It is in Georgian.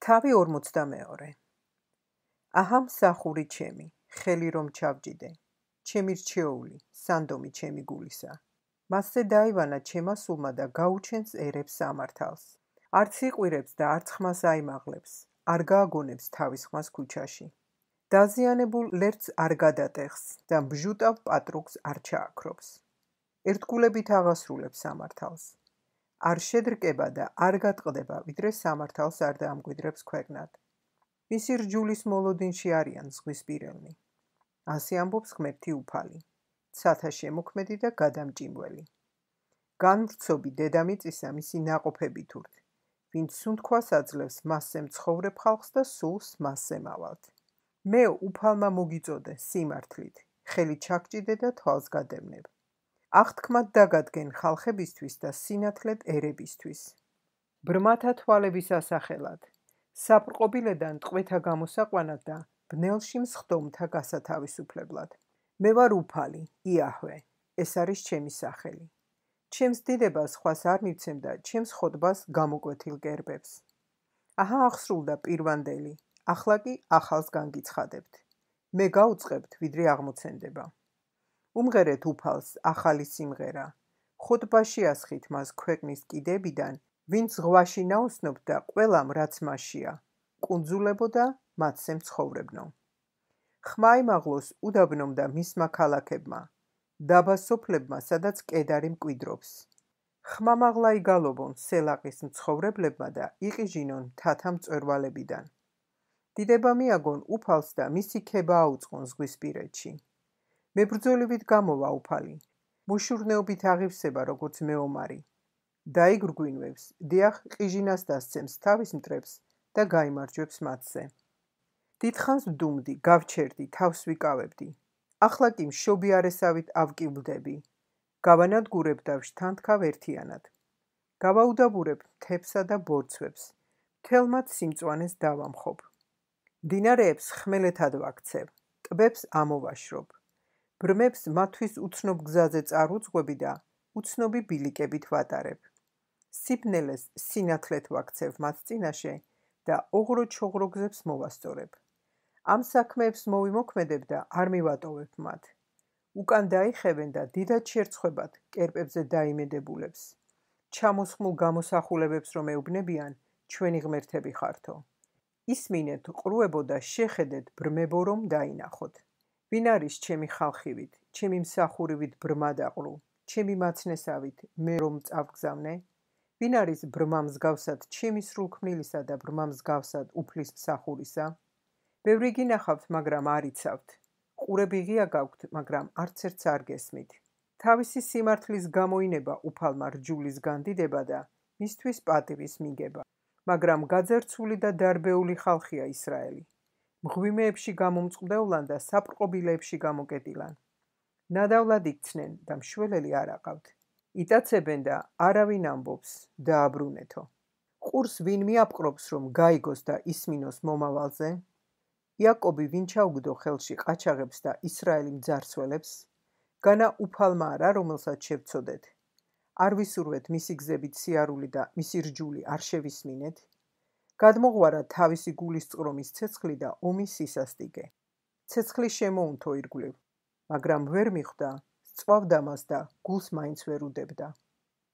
თავი 42. აჰა მსახური ჩემი, ხელი რომ ჩავჯიდე, ჩემი რჩეული, სანდომი ჩემი გულისა. მასზე დაივანა ჩემა სულმა და გაუჩენს ერებს სამართალს. არც იყვირებს და არც ხმას აიმაღლებს, არ გააგონებს თავის ხმას ქუჩაში. დაზიანებულ ლერწს არ გადატეხს და ბჟუტავ პატრუკს არ ჩააქრობს. ერთგულებით აღასრულებს სამართალს. არ შედრკება და არ გატყდება, ვიდრე სამართალს არ დაამკვიდრებს ქვეყნად. მისი რჯულის მოლოდინში არიან ზღვისპირელნი. ასე ამბობს ღმერთი უფალი, ცათა შემოქმედი და გადამჭიმველი. განვრცობი დედამიწისა მისი ნაყოფებით ურთ, ვინც სუნთქვას აძლევს მასზე მცხოვრებ ხალხს და სულს მასზე მავალთ. მე უფალმა მოგიწოდე სიმართლით, ხელი ჩაგჭიდე და თვალს გადევნებ. აღთქმად დაგადგენ ხალხებისთვის და სინათლედ ერებისთვის. ბრმათა თვალების ასახელად, საპრყობილედან ტყვეთა გამოსაყვანად და ბნელში მსხდომთა გასათავისუფლებლად. მე ვარ უფალი, იაჰვე, ეს არის ჩემი სახელი. ჩემს დიდებას სხვას არ მივცემ და ჩემს ხოტბას გამოკვეთილ გერბებს. აჰა აღსრულდა პირვანდელი, ახლა კი ახალს განგიცხადებთ. მე გაუწყებთ, ვიდრე აღმოცენდება. უმღერეთ უფალს ახალი სიმღერა, ხოტბაში ასხით მას ქვეყნის კიდებიდან, ვინც ზღვაში ნაოსნობ და ყველამ რაც მასშია, კუნძულებო და მათზე მცხოვრებნო. ხმა იმაღლოს უდაბნომ და მისმა ქალაქებმა, დაბა სოფლებმა, სადაც კედარი მკვიდრობს. ხმა მაღლა იგალობონ სელაყის მცხოვრებლებმა და იყიჟინონ მთათა მწვერვალებიდან. დიდება მიაგონ უფალს და მისი ქება აუწყონ ზღვისპირეთში. მებრძოლივით გამოვა უფალი, მოშურნეობით აღივსება როგორც მეომარი. დაიგრგვინვებს, დიახ ყიჟინას დასცემს თავის მტრებს და გაიმარჯვებს მათზე. დიდხანს ვდუმდი, გავჩერდი, თავს ვიკავებდი. ახლა კი მშობი არესავით ავკილვდები. გავანადგურებ და ვშთანთქავ ერთიანად. გავაუდაბურებ მთებსა და ბორცვებს, მთელ მათ სიმწვანეს დავამხობ. მდინარეებს ხმელეთად ვაქცევ, ტბებს ამოვაშრობ. ბრმებს მათთვის უცნობ გზაზე წარუძღვები და უცნობი ბილიკებით ვატარებ. სიბნელეს სინათლეთ ვაქცევ მათ წინაშე და ოღრო-ჩოღრო გზებს მოვასწორებ. ამ საქმეებს მოვიმოქმედებ და არ მივატოვებ მათ. უკან დაიხევენ და დიდად შერცხვებათ კერპებზე დაიმედებულებს. ჩამოსხმულ გამოსახულებებს რომ ეუბნებიან, ჩვენი ღმერთები ხართო. ისმინეთ ყრუებო და შეხედეთ ბრმებო რომ დაინახოთ. ვინ არის ჩემი ხალხივით, ჩემი მსახურივით ბრმა დაყრუ, ჩემი მაცნესავით მე რომ წავგზავნე? ვინ არის ბრმა მსგავსად ჩემი სრულქმნილისა და ბრმა მსგავსად უფლის მსახურისა? ბევრი გინახავთ, მაგრამ არ იცავთ. ყურები ღია გაქვთ, მაგრამ არც ერთს არ გესმით. თავისი სიმართლის გამოინება უფალმა რჯულის განდიდება და მისთვის პატივის მიგება. მაგრამ გაძერცული და დარბეული ხალხია ისრაელი. მღვიმეებში გამომწყვლევლან და საპრყობილეებში გამოკეტილან. ნადავლად იქცნენ და მშველელი არ აყავთ. იტაცებენ და არავინ ამბობს, დააბრუნეთო. ყურს ვინ მიაპყრობს, რომ გაიგოს და ისმინოს მომავალზე? იაკობი ვინ ჩაუგდო ხელში ყაჩაღებს და ისრაელი მძარცველებს? განა უფალმა არა, რომელსაც შევცოდეთ. არ ვისურვეთ მისი გზებით სიარული და მისი რჯული არ შევისმინეთ? გადმოღვარა თავისი გულის წყრომის ცეცხლი და ომის სისასტიკე. ცეცხლი შემოუნთო ირგვლივ, მაგრამ ვერ მიხვდა, სწვავდა მას და გულს მაინც ვერ უდებდა.